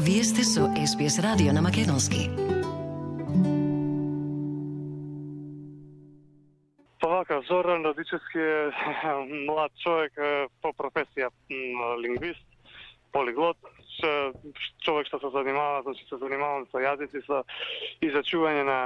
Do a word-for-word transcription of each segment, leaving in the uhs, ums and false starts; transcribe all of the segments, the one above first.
Вие сте со Ес Би Ес радио на македонски. Вака, Зоран Радичевски е млад човек по професија лингвист, полиглот, човек што се занимава, значи се занимавам со јазици, со изучување на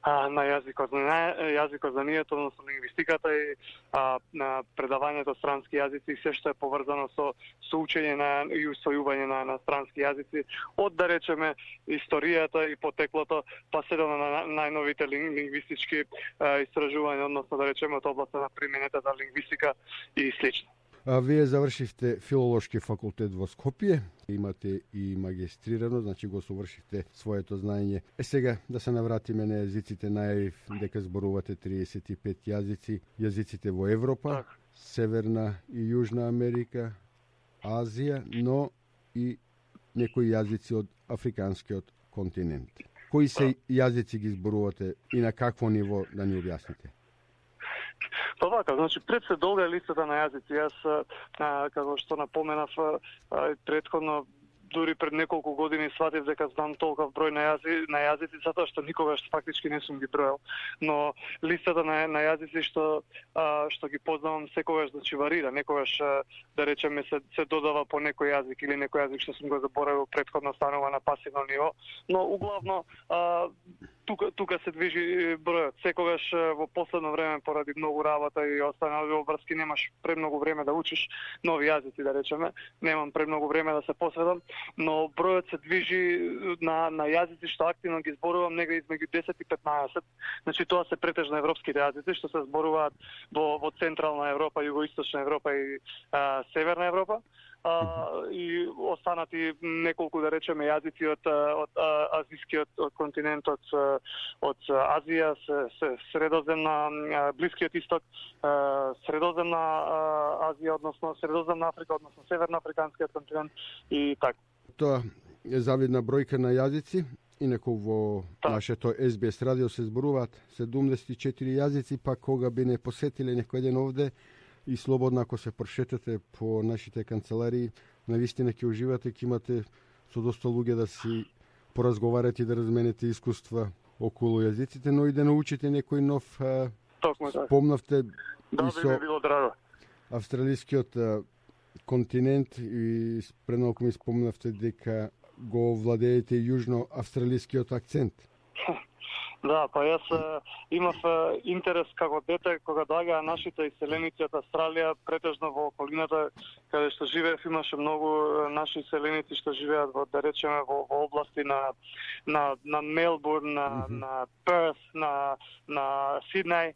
на јазикот, на јазикот знанието, односно лингвистиката и а, на предавањето странски јазици и се што е поврзано со со учење на и усвојување на на странски јазици, од да речеме историјата и потеклото, па се до на најновите лингвистички а, истражувања, односно да речеме од областа на примената за лингвистика и слично. А вие завршивте филолошки факултет во Скопје, имате и магистрирано, значи го совршивте своето знаење. Е сега да се навратиме на јазиците, најавив дека зборувате триесет и пет јазици, јазиците во Европа, так. Северна и Јужна Америка, Азија, но и некои јазици од африканскиот континент. Кои се јазици ги зборувате и на какво ниво, да ни објасните? Па вака, значи пред се долга е листата на јазици. Јас, а, како што напоменав а, предходно, дури пред неколку години сватив дека знам толков број на, јази, на јазици, затоа што никогаш фактички не сум ги броел. Но листата на, на јазици што а, што ги познавам секогаш значи варира. Некогаш а, да речеме се, се додава по некој јазик или некој јазик што сум го заборавил предходно станува на пасивно ниво, но углавно а, тука тука се движи бројот. Секогаш во последно време поради многу работа и останали обврски немаш премногу време да учиш нови јазици, да речеме. Немам премногу време да се посветам, но бројот се движи на на јазици што активно ги зборувам негде измеѓу десет и петнаесет. Значи тоа се претежно европските јазици што се зборуваат во во централна Европа, југоисточна Европа и а, северна Европа. Uh, и останати неколку, да речеме, јазици од, од а, азискиот од континентот, од Азија, средоземна, Блискиот исток, средоземна Азија, односно средоземна Африка, односно северноафриканскиот континент и така. Тоа е завидна бројка на јазици. Инаку во так. Нашето Ес Би Ес радио се зборуваат седумдесет и четири јазици, па кога би не посетиле некој ден овде, и слободно ако се прошетате по нашите канцеларии, навистина ќе уживате, ќе имате со доста луѓе да си поразговарате и да разменете искуства околу јазиците, но и да научите некој нов. Токму така. Спомнавте да, и со би било драго. Австралискиот континент и пренолку ми спомнавте дека го владеете јужно-австралискиот акцент. Да, па јас а, имав а, интерес како дете кога доаѓаа нашите иселеници од Австралија, претежно во околината каде што живеев, имаше многу а, наши иселеници што живеат во, да речеме, во, во области на на на Мелбурн, на mm -hmm. на Перс, на на Сиднеј.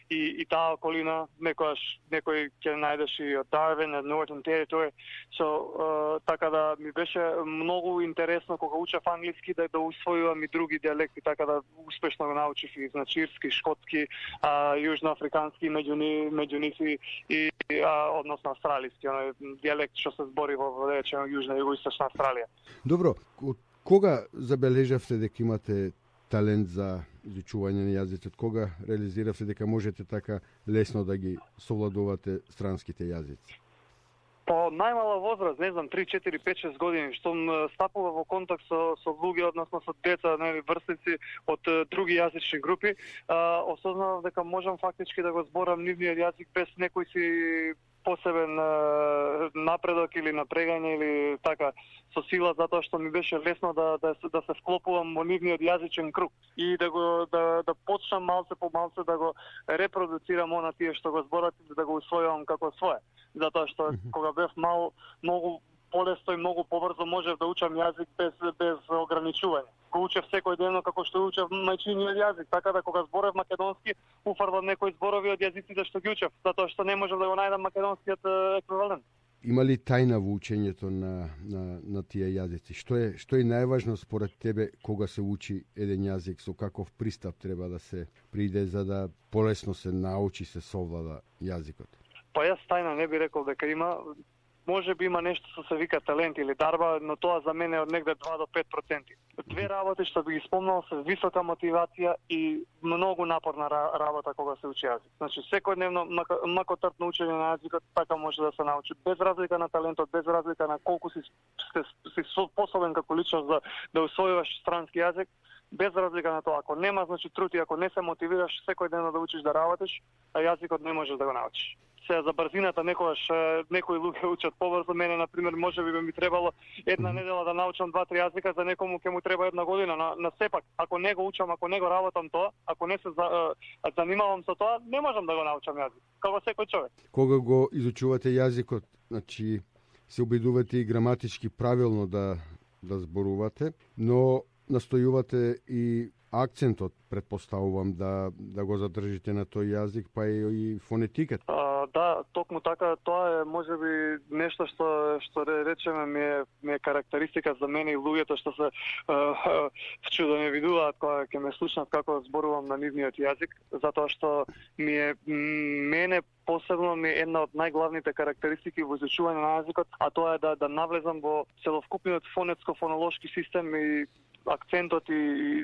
И, и таа околина, некојаш некој ќе најдеш и од Дарвин, од Northern Territory. So, uh, така да ми беше многу интересно кога учев англиски да да усвојувам и други дијалекти, така да успешно го научив и значи ирски, шкотски, а, јужноафрикански, меѓу ни, меѓу нив и, и а, односно австралиски, оној дијалект што се збори во да речеме јужна и југоисточна Австралија. Добро, од кога забележавте дека имате талент за изучување на јазици, од кога реализиравте дека можете така лесно да ги совладувате странските јазици? По најмала возраст, не знам, три, четири, пет, шест години, што стапува во контакт со, со луѓе, односно со деца, нели, врстници од други јазични групи, а, осознавав дека можам фактички да го зборам нивниот јазик без некој си посебен а, напредок или напрегање или така со сила, затоа што ми беше лесно да да да се вклопувам во нивниот јазичен круг и да го да да почнам малце по малце да го репродуцирам она тие што го зборат и да го усвојувам како свое. Затоа што mm -hmm. кога бев мал, многу полесно и многу побрзо можев да учам јазик без без ограничување. Го учев секој ден како што учев мајчиниот јазик, така да кога зборев македонски, уфрлам некои зборови од јазиците што ги учев, затоа што не можев да го најдам македонскиот еквивалент. Има ли тајна во учењето на на на тие јазици? Што е што е најважно според тебе кога се учи еден јазик, со каков пристап треба да се приде за да полесно се научи, се совлада јазикот? Па јас тајна не би рекол дека има. може би има нешто што се вика талент или дарба, но тоа за мене е од негде два до пет проценти. Две работи што би ги спомнал се висока мотивација и многу напорна работа кога се учи јазик. Значи секојдневно макотртно учење на јазикот така може да се научи без разлика на талентот, без разлика на колку си си способен како личност да да усвојуваш странски јазик, без разлика на тоа. Ако нема значи труд и ако не се мотивираш секојдневно да учиш да работиш, а јазикот не можеш да го научиш. Се за брзината некогаш некои луѓе учат побрзо. Мене на пример можеби би ми требало една недела да научам два-три јазика, за некому ќе му треба една година. На, на сепак, ако не го учам, ако не го работам тоа, ако не се за, занимавам со тоа, не можам да го научам јазик. Како секој човек. Кога го изучувате јазикот, значи се обидувате и граматички правилно да да зборувате, но настојувате и акцентот, предпоставувам, да да го задржите на тој јазик, па и, и фонетиката. А, да, токму така, тоа е можеби нешто што што речеме ми е, ми е карактеристика за мене и луѓето што се вчудо не видуваат кога ќе ме слушнат како зборувам на нивниот јазик, затоа што ми е мене посебно ми е една од најглавните карактеристики во изучување на јазикот, а тоа е да да навлезам во целокупниот фонетско-фонолошки систем и акцентот и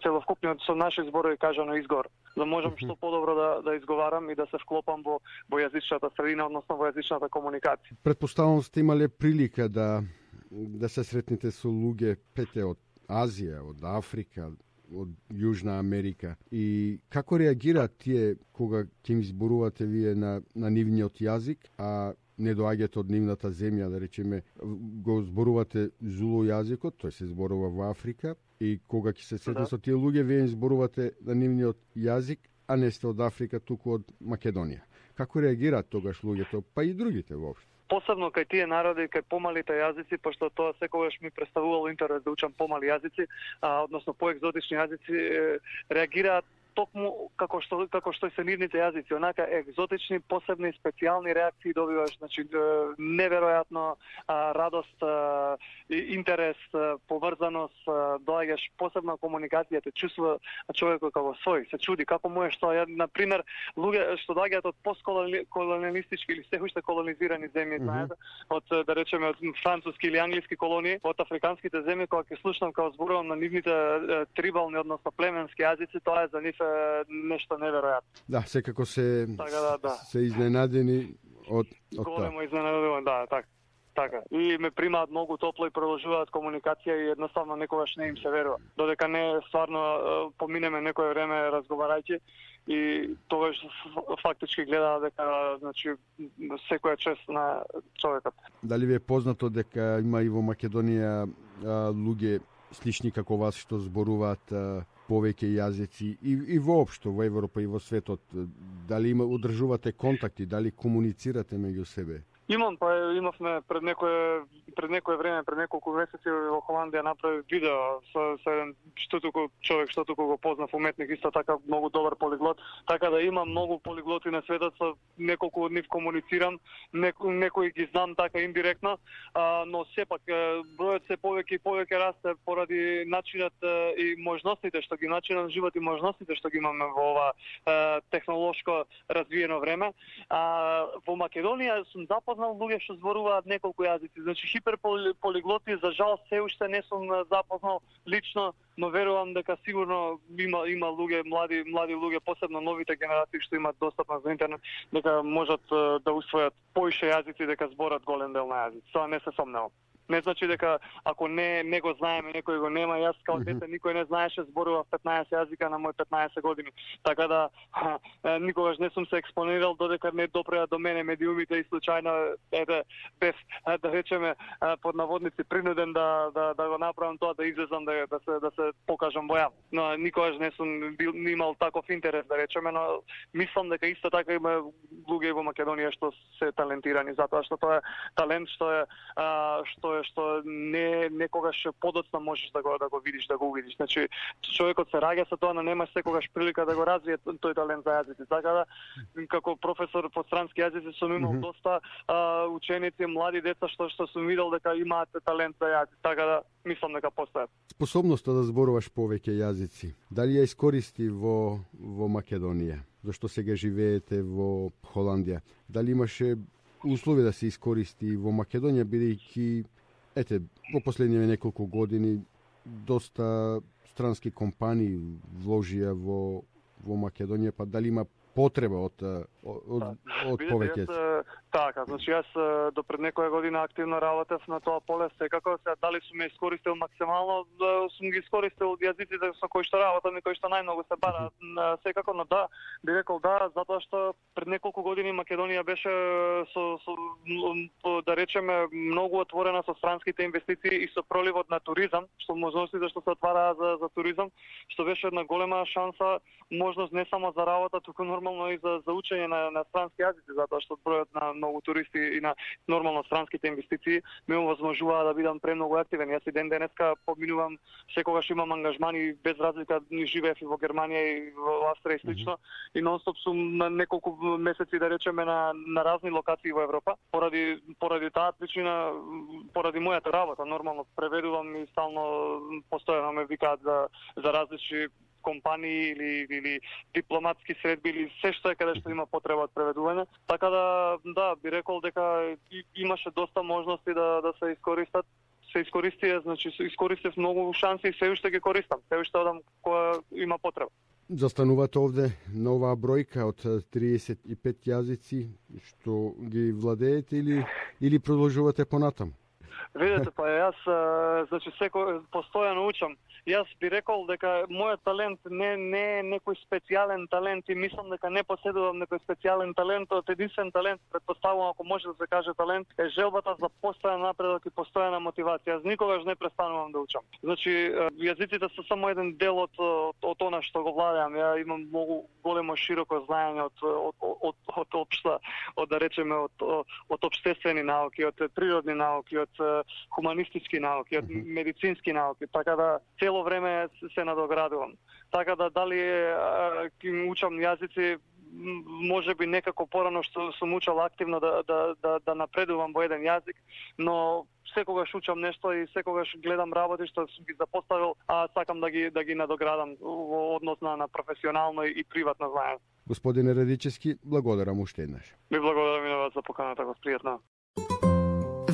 целокупниот со наши зборови кажано изгор, да можам што подобро да да изговарам и да се вклопам во во јазичната средина, односно во јазичната комуникација. Претпоставувам сте имале прилика да да се сретнете со луѓе пете од Азија, од Африка, од Јужна Америка, и како реагираат тие кога ќе им зборувате вие на на нивниот јазик, а не доаѓате од нивната земја, да речеме, го зборувате зулу јазикот, тој се зборува во Африка, и кога ќе се сретне да. со тие луѓе, вие им зборувате на нивниот јазик, а не сте од Африка, туку од Македонија. Како реагираат тогаш луѓето, па и другите воопшто? Посебно кај тие народи, кај помалите јазици, пошто тоа секогаш ми представувало интерес да учам помали јазици, а, односно поекзотични јазици, реагираат токму како што како што се нивните јазици, онака екзотични, посебни, специјални реакции добиваш, значи неверојатно радост, интерес, поврзаност, доаѓаш посебна комуникација, те чувствува човекот како свој, се чуди како му е што ја, на пример, луѓе што доаѓаат од постколониалистички или се уште колонизирани земји, знаете, од да речеме од француски или англиски колонии, од африканските земји, кога ќе слушнам како зборувам на нивните трибални, односно племенски јазици, тоа е за нив нешто неверојатно. Да, секако се така, да, да. се изненадени од од тоа. Големо изненадуван, да, така. Така. И ме примаат многу топло и продолжуваат комуникација и едноставно некогаш не им се верува. Додека не стварно поминеме некое време разговарајќи и тогаш фактички гледаат дека значи секоја чест на човекот. Дали ви е познато дека има и во Македонија а, луѓе слични како вас што зборуваат а, повеќе јазици и, и воопшто во Европа и во светот? Дали има, одржувате контакти, дали комуницирате меѓу себе? Имам, па имавме пред некое пред некое време, пред неколку месеци во Холандија направи видео со, со еден што туку човек што туку го познав уметник, исто така многу добар полиглот, така да имам многу полиглоти на светот, со неколку од нив комуницирам, неко, некои ги знам така индиректно, а, но сепак бројот се повеќе и повеќе расте поради начинот и можностите што ги начинам живот и можностите што ги имаме во ова а, технолошко развиено време. А, во Македонија сум запознал луѓе што зборуваат неколку јазици. Значи хиперполиглоти за жал се уште не сум запознал лично, но верувам дека сигурно има има луѓе, млади млади луѓе, посебно новите генерации што имаат достапност до интернет, дека можат да усвојат поише јазици, дека зборат голем дел на јазици. Тоа не се сомневам. Не значи дека ако не не го знаеме, некој го нема. Јас као дете никој не знаеше, зборував петнаесет јазика на мој петнаесет години. Така да ха, никогаш не сум се експонирал додека не допреа до мене медиумите и случајно ете бев да речеме под наводници принуден да да да го направам тоа, да излезам да да се да се покажам во јав. Но никогаш не сум бил имал таков интерес да речеме, но мислам дека исто така има луѓе во Македонија што се талентирани, затоа што тоа е талент што е а, што што не некогаш подоцна можеш да го да го видиш, да го увидиш. Значи човекот се раѓа со тоа, но нема секогаш прилика да го развие тој талент за јазици. Така да како професор по странски јазици сум имал mm -hmm. доста а, ученици, млади деца што што сум видел дека имаат талент за јазици. Така да мислам дека постојат. Способноста да зборуваш повеќе јазици, дали ја искористи во во Македонија? Зашто сега живеете во Холандија? Дали имаше услови да се искористи во Македонија, бидејќи ете во последниве неколку години доста странски компании вложија во во Македонија, па дали има потреба од од, да. од повеќе? Така, значи јас до пред некоја година активно работев на тоа поле, секако се дали сум ме искористил максимално, да сум ги искористил јазиците со кои што работам и кои што најмногу се бара, секако, но да, би рекол да, затоа што пред неколку години Македонија беше со, со да речеме многу отворена со странските инвестиции и со проливот на туризам, што можностите што се отвараа за за туризам, што беше една голема шанса, можност не само за работа, туку нормално и за за учење на на странски јазици, затоа што бројот на многу туристи и на нормално странските инвестиции ме овозможува да бидам премногу активен. Јас и ден денеска поминувам, секогаш имам ангажмани без разлика, ни живеев и во Германија и во Австрија и слично, mm-hmm. и нонстоп сум на неколку месеци, да речеме, на на разни локации во Европа. Поради поради таа причина, поради мојата работа, нормално преведувам и стално постојано ме викаат за за различни компании или или дипломатски средби или се што е каде што има потреба од преведување. Така да да би рекол дека имаше доста можности да да се искористат. Се искористија, значи се искористив многу шанси и се уште ги користам. Се уште одам кога има потреба. Застанувате овде на оваа бројка од триесет и пет јазици што ги владеете или или продолжувате понатаму? Видете, па јас значи секој постојано учам. Јас би рекол дека мојот талент не не е некој специјален талент и мислам дека не поседувам некој специјален талент, од единствен талент, предпоставувам, ако може да се каже талент, е желбата за постојан напредок и постојана мотивација. Јас никогаш не престанувам да учам. Значи јазиците се само еден дел од од, од она што го владеам. Ја имам многу големо широко знаење од од од од општа, од да речеме од од општествени науки, од природни науки, од хуманистички науки, од медицински науки, така да цело време се надоградувам. Така да дали ќе учам јазици, може би некако порано што сум учел активно да да да да напредувам во еден јазик, но секогаш учам нешто и секогаш гледам работи што сум ги запоставил, а сакам да ги да ги надоградам во однос на, на професионално и приватно знаење. Господине Радичевски, благодарам уште еднаш. Ви благодарам и на вас за поканата, го пријатно.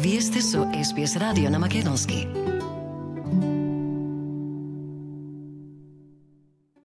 Вие сте со Ес Би Ес радио на македонски.